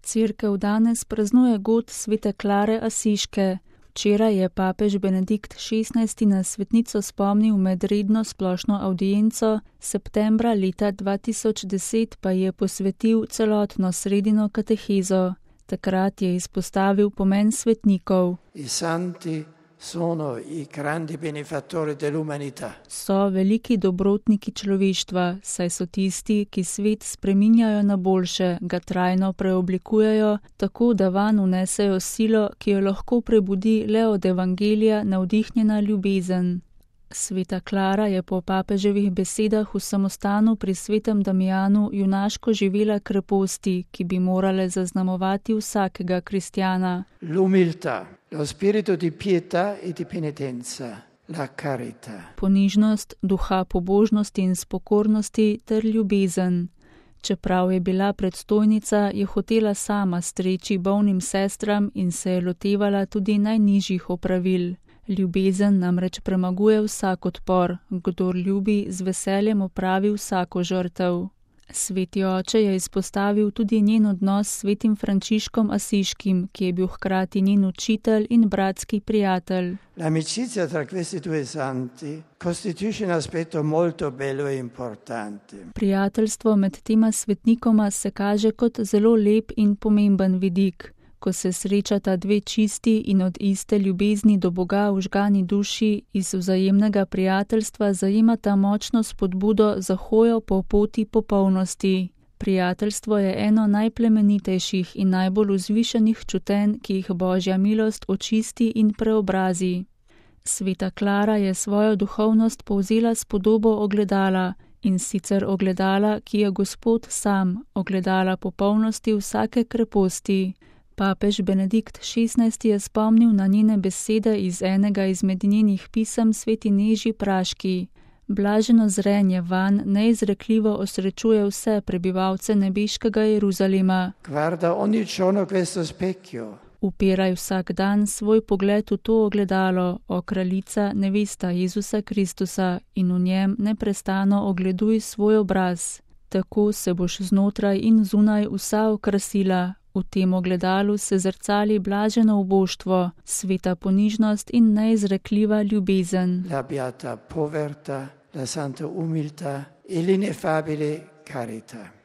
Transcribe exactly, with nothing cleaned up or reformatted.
Cerkev danes praznuje god svete Klare Asiške. Včeraj je papež Benedikt šestnajsti na svetnico spomnil med redno splošno avdienco, septembra leta dva tisoč deset pa je posvetil celotno sredino katehezo. Takrat je izpostavil pomen svetnikov. I santi sono i grandi benefattori dell'umanità. So veliki dobrotniki človeštva, saj so tisti, ki svet spreminjajo na boljše, ga trajno preoblikujejo, tako da vanj vnesejo silo, ki jo lahko prebudi le od evangelija navdihnjena ljubezen. Sveta Klara je po papeževih besedah v samostanu pri svetem Damijanu junaško živela kreposti, ki bi morale zaznamovati vsakega kristjana. L'umiltà, lo spirito di pietà e di penitenza, la carità. Ponižnost, duha pobožnosti in spokornosti ter ljubezen. Čeprav je bila predstojnica, je hotela sama streči bolnim sestram in se je lotevala tudi najnižjih opravil. Ljubezen namreč premaguje vsak odpor, kdor ljubi, z veseljem opravi vsako žrtev. Sveti oče je izpostavil tudi njen odnos s svetim Frančiškom Asiškim, ki je bil hkrati njen učitelj in bratski prijatelj. L'amicizia tra questi due santi costituisce un aspetto molto bello e importante. Prijateljstvo med tema svetnikoma se kaže kot zelo lep in pomemben vidik. Ko se srečata dve čisti in od iste ljubezni do Boga vžgani duši, iz vzajemnega prijateljstva zajemata močno spodbudo za hojo po poti popolnosti. Prijateljstvo je eno najplemenitejših in najbolj vzvišenih čutenj, ki jih Božja milost očisti in preobrazi. Sveta Klara je svojo duhovnost povzela s podobo ogledala, in sicer ogledala, ki je Gospod sam, ogledala popolnosti vsake kreposti. Papež Benedikt šestnajsti je spomnil na njene besede iz enega izmed njenih pisem sveti Neži Praški. Blaženo zrenje vanj neizrekljivo osrečuje vse prebivalce nebeškega Jeruzalema. Guarda ogni giorno questo specchio. Upiraj vsak dan svoj pogled v to ogledalo, o kraljica nevesta Jezusa Kristusa, in v njem neprestano ogleduj svoj obraz. Tako se boš znotraj in zunaj vsa okrasila. V tem ogledalu se zrcali blaženo uboštvo, sveta ponižnost in neizrekljiva ljubezen. La beata povertà, la santa umiltà e l'ineffabile carità.